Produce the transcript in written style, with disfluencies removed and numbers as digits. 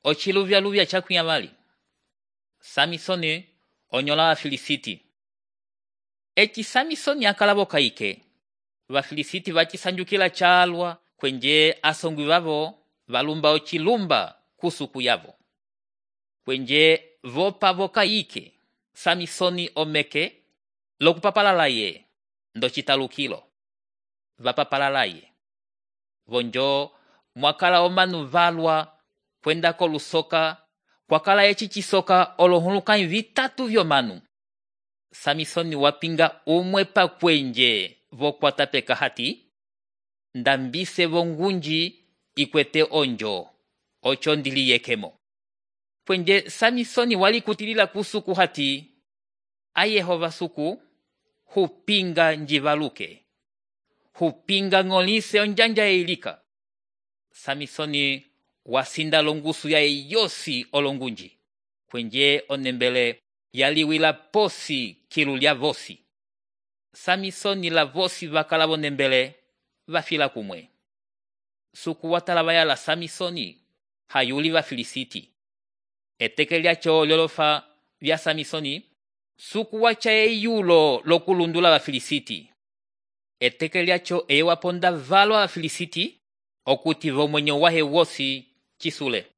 Ochiluvya chakuya vali. Samisoni onyola Vafilisiti. Eci Samisoni akalavo kaike. Vafilisiti vachisanjukila chalwa kwenje asongwi vavo valumba ochilumba kusuku yavo. Kwenje vopa vokaike Samisoni omeke lokupapalalaye ndo chitalukilo. Vapapalalaye. Vonjo mwakala omanu valwa kwenda kolusoka kwakala eci chisoka olohulukanyi vitatu vyomanu. Samisoni wapinga umwepa kwenje vokwata peka hati ndambise vongunji ikwete onjo ocho ndili yekemo. Kwenje Samisoni wali kutilila kusuku hati ayehova suku hupinga njivaluke hupinga ng'olise onjanja eilika. Samisoni wasinda longusu ya yosi olongunji kwenje onembele yaliwila posi kilu lya vosi. Samisoni la vosi vakala vonembele vafila kumwe. Suku watala vayala Samisoni hayuli Vafilisiti. Eteke lyacho lyolofa vya Samisoni suku wacha eyulo lokulundula Vafilisiti. Eteke lyacho ewaponda valwa Vafilisiti okuti vomwenyo wahe wosi chisule.